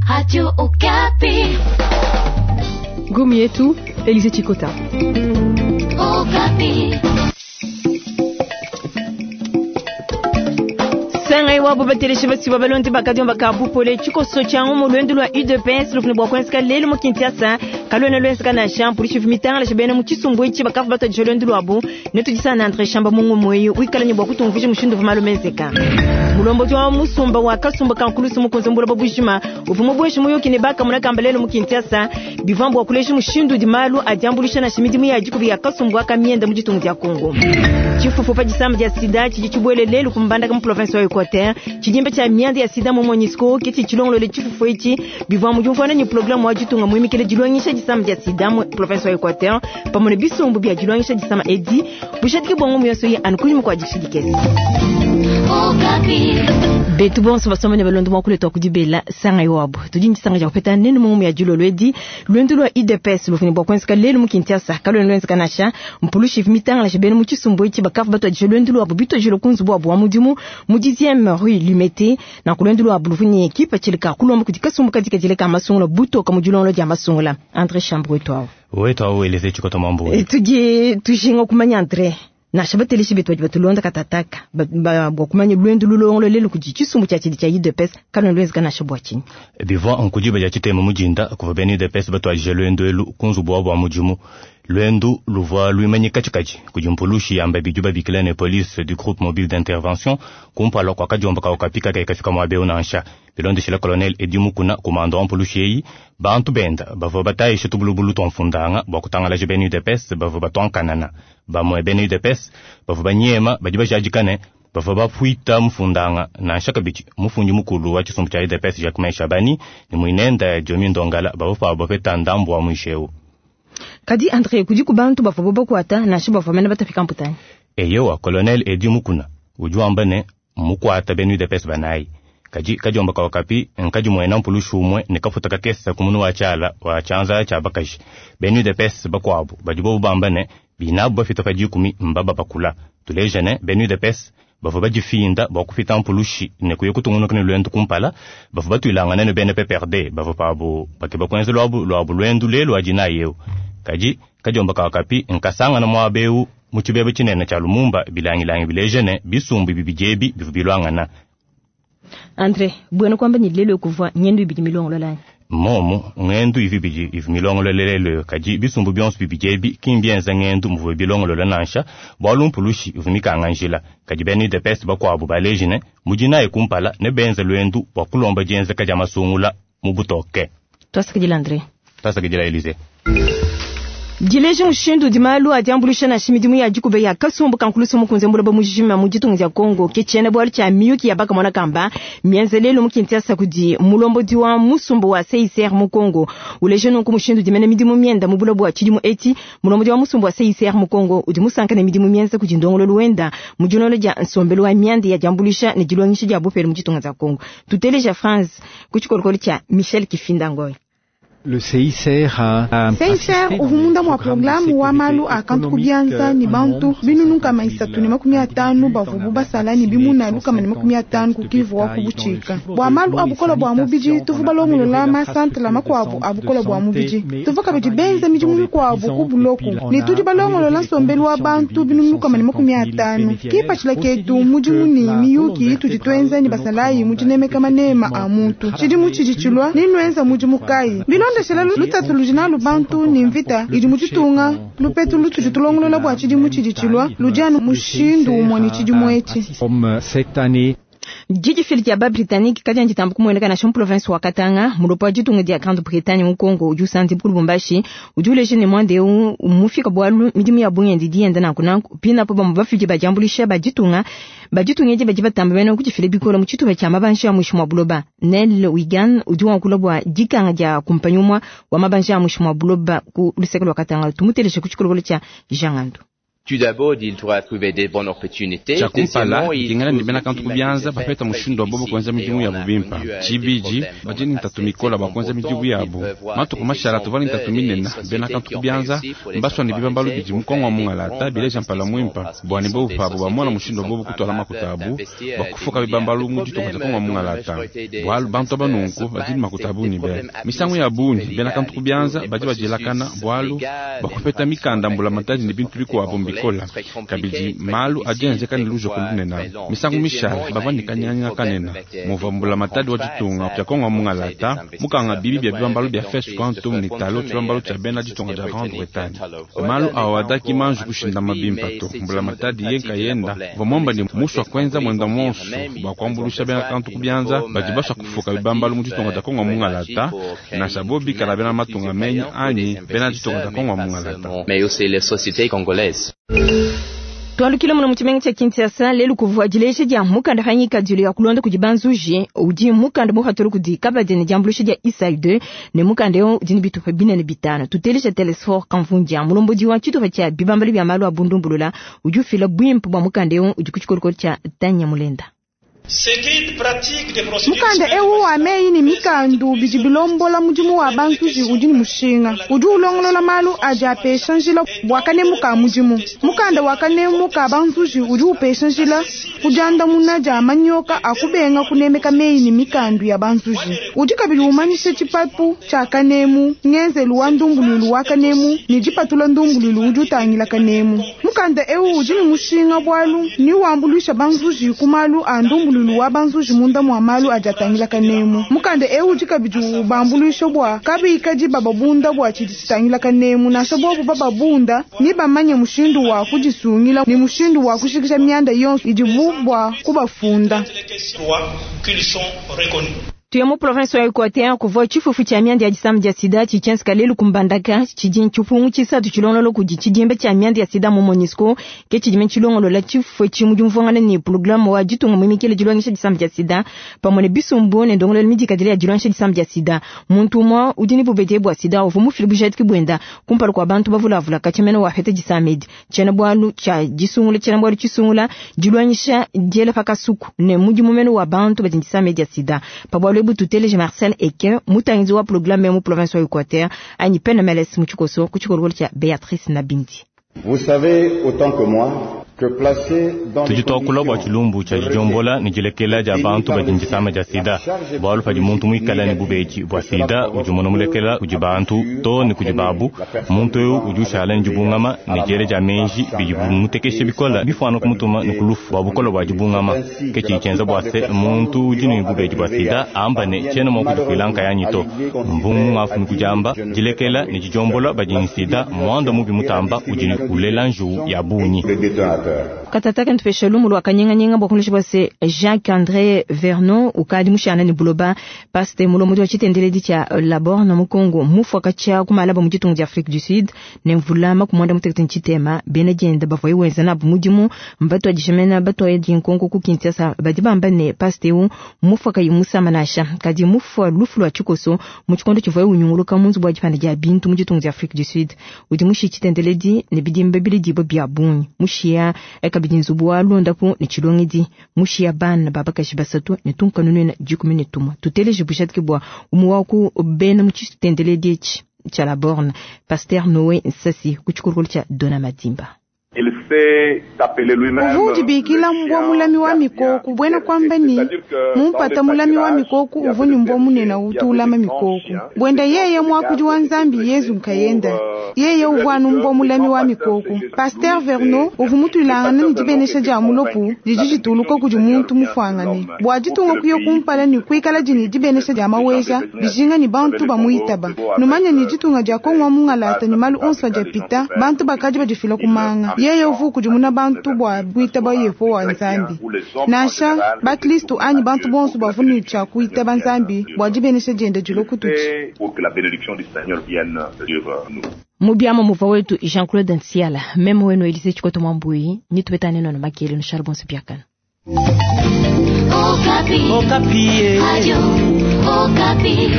Radio Okapi. Gomi yetu Elise Chikota. Okapi. Sangai wabo bateleshi basiba balondi bakadiomba ka bupole tshikoso tshia ngumu lwendu lwa UDPS lufune bua kuenzeka lelu mu Kinshasa kaluena luenzeka nansha mpulushi mitangala bena mu tshisumbu etshi bakavu batuadija lwendu luabu netudisana na Andre Shamba mungu mweyi wikala ne bua kutumvuija mushindu uvua malu menzeka. Mulombodi wa musumba wa kasumba ka nkulusu mukunze mbuloba bujima uvua mubueshi muyuki ne bakamuna kamba lelu mu Kinshasa bivua bua kuleja mushindu udi malu adiambuluisha nansha midimu ya dikubi ya kasumbu aka mienda mu ditunga dia Kongo. Tshifufu pa disama dia sida tshidi tshibuele lelu ku Mbandaka mu province wa Equateur tshidimba tshia mianda ya sida mu MONUSCO ke tshidi tshilongolole tshifufu etshi bivua mu diumvuana ne programme wa ditunga muimikile dilongesha disama dia sida mu province wa Equateur pamue ne bisumbu bia dilongesha disama edi bujadiki bua ngumu yonso yi anu kunyima kua dishidikesi. Okapi. Betu bonso basoma ne balondo mwakule twa kudibela sanga iwabo tudi ndisanga ja kupeta nenu mungu ya dilolo edi lwendu lwa UDPS lufuni bua kuenzeka lelu mu Kinshasa kalwena lwenzeka nasha mpulushi mitangala bena mu tshisumbu etshi bakavu batuadija lwendu lwabo bituadijile ku nzubu wabu wa mudimu mu 10e rue Limete na ku lwendu lwabo lufuni ekipa tshilika kulomba kudi kasumbu kadikadile ka masungula butoka mu dilongolo dia masungula André Chambre wetu awo wetu awo Elise Chikota Mambo tudi tujinga kumanya André nasha bateleshi betu badi batulonda katataka bua kumanya lwendu lulongolo lelu kudi tshisumbu tshia tshidi tshia UDPS kalwena lwenzeka nasha bua tshinyi bivua nkudiba dia tshitema mujinda kuva bena UDPS batuadija lwendu elu ku nzubu wabu wa mudimu lwendu luvua luimanyika tshikadi kudi mpulushi yamba bidi babikila ne police du groupe mobile d'intervention kumpala kua kadiomba kawo kapika kaikafika muaba eu nansha bilondeshila colonel Edi Mukuna kumanda wa mpulushi eyi bantu benda bavua batayisha tubulubulu tua mfundanga bua kutangalaja bena UDPS bavua batuankanana bamue bena UDPS bavua banyema badi bajadikane bavua bafuita mfundanga nansha kabidi mufundi mukulu wa tshisumbu tshia UDPS Jacquemain Shabani ne muinenda Diomi Ndongala bavua pabo bapeta ndambu wa mwisho kadi Andre kudi ku bantu bavua bakwata nansha bavua mene batafika mputani eyowa colonel Edi Mukuna udi wamba ne mukwata bena UDPS banayi kadi kadiomba kawa kapi nkadi muena mpulushi umue ne kafuta kakesa kumunu wa tshiala wa tshianza tshia bakaji bena UDPS bakuabu badi bobu bamba ne binabu bafita pa dikumi mbaba bakula tuleja ne bena UDPS bavua badifinda bua kupita mpulushi ne kuya kutungunuka ne lwendu kumpala bavua batuilangana ne bena PPRD bavua pabu bakeba kuenza luabu luabu lwendu lelu adinayi eu kadi kadiomba kawa kapi nkasangana muaba eu mu tshibeba tshinene tshia Lumumba bilangilangi bileja ne bisumbu bibidi ebi bivua biluangana. Andre bwena kwamba ni lelo kuvua ngendu ibidi milongolola momo ngendu ivi bidi ivi milongolola lelo kadi bisumbu bionso bibidi ebi ki mbienza ngendu muvua bilongolola nansha bualu mpulushi ivua mikanga njila kadi bena UDPS bakuabu baleji ne mudinayi kumpala ne benza lwendu bua kulomba dienzeka dia masungula mu butoke. Twasakidila Andre. Twasakidila Elise. Dileja mushindu udi malu adiambuluisha nansha midimu ya dikuba ya kasumbu ka nkulusu mukunze mbuloba mujima mu ditunga dia Kongo ke tshiena bualu tshia miyuki ya bakamona kamba mienza lelu mu Kinshasa kudi mulombodi wa musumbu wa CICR mu Kongo uleja nunku mushindu udi mene midimu mienda mu buloba bua tshidimu etshi mulombodi wa musumbu wa CICR mu Kongo udi musanka ne midimu mienza kudi ndongololu wenda mu dilonda dia nsombelu wa mianda ya diambuluisha ne dilongesha dia bupele mu ditunga dia Kongo. Tuteleja France ku tshikolokolo tshia Michel Kifinda Ngoy. Le CICR a CICR uvumunda mwa programu wa malu a kantu kubianza ni bantu binunu kama 350 bavubu basala ni bimuna lukama ni 50 kukivu wa kubuchika bwa malu abukola bwa mubiji tuvu balongolola masantre makwabu abukola bwa mubiji tuvu kabidi benza midimu mikwabu ku buloku ni tudi balongolola nsombelu wa bantu binunu kama ni 50 kipatshila ketu mudimu ni miyuki tudi twenza ni basalayi mudinemeka manema a muntu tshidimu tshidi tshilua ni nwenza mudimu kayi bilonda shela lutatu ludi bantu ni mvita idi muditunga lupetu lutudi tulongolola bua tshidimu tshidi tshilua ludi anu mushindu umue ne tshidimu etshi. Didifili dia ba Britannique kadi nditambu kumueneka nansha mu province wa Katanga mulopo wa ditunga dia Grande-Bretagne mu Congo udi usandi ku Lubumbashi udi uleja ne muanda eu mufika bualu midimu ya bungi dienda nanku nanku pinapo bamue bafidi badiambuluisha baditunga baditunga edi badi batamba bena kudifila bikole mu tshitupa tshia mabanji a muinshi mua buloba. Nel Wigan udi wankula bua dikanga dia kumpanyi umue wa mabanji a muinshi mua buloba ku luseke lua Katanga tumuteleje ku tshikolokolo tshia Jean Ngandu. Tshia kumpala, dikengela ne bena kantu ku bianza bapeta mushindu wa bobo kuenza midimu yabu bimpe. Tshibidi, badi ne ntatu mikole bua kuenza midimu yabu. Matuku mashala tuvua ne ntatu minene, bena kantu ku bianza mbasua ne bibambalu bidi mu Kongo wa mungalata bileja mpala muimpe bua ne bobu pabu bamona mushindu wa bobo kutuala makuta abu bua kufuka bibambalu mu ditunga dia Kongo wa mungalata. Bualu bantu aba nunku badi ne makuta a bungi be. Misangu ya bungi bena kantu ku bianza badi badielakana bualu bua kupeta mikanda mbulamatadi ne bintu bikuabu mbikola. Kabidi malu adi enzeka ne lujoko lunene. Misangu mishale bavua ne kanyinganyinga kanene muvua mbulamatadi wa ditunga dia Kongo wa mungalata mukanga bibi bia bibambalu bia First Quantum ne talo tshibambalu tshia bena ditunga dia Grande-Bretagne. Malu awa adaki manji kushindama bimpe to. Mbulamatadi ye nkayenda uvua muamba ne musua kuenza muenda muonso bua kuambuluisha bena kantu ku bianza badi basua kufuka bibambalu mu ditunga dia Kongo wa mungalata, nansha bo bikala bena matunga menyi anyi bena ditunga dia Kongo wa mungalata. Twalukile muno mu tshimenga tshia Kinshasa lelu kuvua dileja dia mukanda pa ngikadilu ya kulonda kudi banzuji udi mukanda mupatula kudi kabadi ne diambuluisha dia ISAI 2 ne mukanda eu udi ne bitupa binene bitano. Tuteleja Telesfor Kamvundia mulombodi wa tshitupa tshia bibambalu bia malu a bundumbulula udi ufila buimpe bua mukanda eu udi ku tshikolokolo tshia Tanya Mulenda. Mukanda eu wa meyi ne mikandu bidi bilombola mudimu wa banzuji udi ne mushinga. Udi ulongolola malu adi apesha njila bua kanemu ka mudimu. Mukanda wa kanemu ka banzuji udi upesha njila ku diandamuna dia manyoka a kubenga kunemeka meyi ne mikandu ya banzuji. Udi kabidi umanyisha tshipapu tshia kanemu, ngenzelu wa ndumbuluilu wa kanemu ne dipatula ndumbuluilu udi utangila kanemu. Mukanda eu udi ne mushinga bualu ni wambuluisha banzuji ku malu a ndumbuluilu wa banzuji munda mwa malu adi atangila kanemu. Mukanda eu udi kabidi ubambuluisha bua kabikadi bababunda bua tshidi tshitangila kanemu, nansha bobu bababunda ni bamanye mushindu wa kudisungila ni mushindu wa kushikisha mianda yonso idibu bua kubafunda. Tuye mu province wa Equateur kuvua tshifufu tshia mianda ya disama dia sida tshitshienzeka lelu ku Mbandaka tshidi tshipungu tshisatu tshilongolola kudi tshidimba tshia mianda ya sida mu MONUSCO ke tshidime tshilongolola tshifufu etshi mu diumvuangana ne programme wa ditunga muimikile dilongesha disama dia sida pamue ne bisumbu ne ndongoluelu midikadile ya dilongesha disama dia sida. Muntu umue udi ne bubedi bua sida uvua mufile bujadiki buenda kumpala kua bantu bavulavula katshia wapeta disama edi. Tshiena-bualu tshia disungula tshiena-bualu tshisungula dilongesha diela pa kasuku ne mudimu mene wa bantu badi ne disama dia sida. Pa bualu ebu tuteleje Marcel Eke mutangizi wa programme mu province wa Equateur anyi PNMLS mu tshikoso ku tshikolokolo tshia Beatrice Nabindi. Vous savez autant que moi que placé dans tudi twakula bua tshilumbu tshia didiombola ne dilekela dia bantu badi ne disama dia sida. Bualu padi muntu muikale ne bubedi bua sida udi mona mulekela kudi bantu to ne kudi babu, muntu eu udi ushala ne dibungama ne diele dia meji bidi bimutekesha bikola bifuana kumutuma ne kulufu bua bukole bua dibungama. Ke tshidi tshienza bua se muntu udi ne bubedi bua sida amba ne tshiena mua kudifuila nkayanyi to. Mbungu ngafumi kudiamba dilekela ne didiombola badi ne sida muanda mubi mutamba udi ne kulela njuwu ya bungi. Katata kentupesha lumu lwa kanyinganyinga bua kulesha bua Jacques André Vernon ukadi mushana ne buloba paste mulombodi wa tshitendeledi tshia Labor na Mukongo mufua katshia kumalaba mu ditunga dia Afrique du Sud ne mvulama kumwanda mutekete ntshitema bena dienda bavua wenza nabu mudimu mbatuadijamena batuaya dinkonko ku Kinshasa badi bamba ne paste eu mufua kayi musama nasha kadi mufua lufu lwa tshikoso mu tshikondo tshivua unyunguluka mu nzubu wa dipanda dia bintu mu ditunga dia Afrique du Sud udi mushi tshitendeledi ne bidimba bilidibwa bia bungi mushia kabidi nzubu wa londapu ne tshilongedi mushia bana babakaji basatu ne tunkanunena 13 tuteleje bujadiki bua umwe wa ku bena mu tshitendeledi etshi tshia la borne Pasteur Noé Nsasi ku tshikolokolo tshia Dona Madimba. Uvu udibikila mbwa mulami wa mikoku bwena kwamba ni mumpata mulami wa mikoku uvu ni mbwa munene utu ulama mikoku bwenda yeye mwakudi wa nzambi Yezu nkayenda yeye uvwanu mbwa mulami wa mikoku. Pasteur Verno uvu mutulangana ni dibenesha dia mulopu didi dituluka kudi muntu mufuangane bua ditunga kuya kumpala ni kuikala dini dibenesha dia maweja dijinga ni bantu bamuitaba numanya ni ditunga dia Kongo wa mungalata ni malu onso adiapita bantu bakadi badifila kumanga yeye uvu kudimuna bantu bua kuitaba Yehowa nzambi nansha bakristu anyi bantu bonso bavuni tshia kuitaba nzambi bua dibenesha dienda dilokututi. Mubiama muva wetu Jean-Claude Nsiala meme wenu Elise Chikoto Mwambui nitubetane nono makele no Charbon Sipiakana. Okapi. Okapi. Radio Okapi.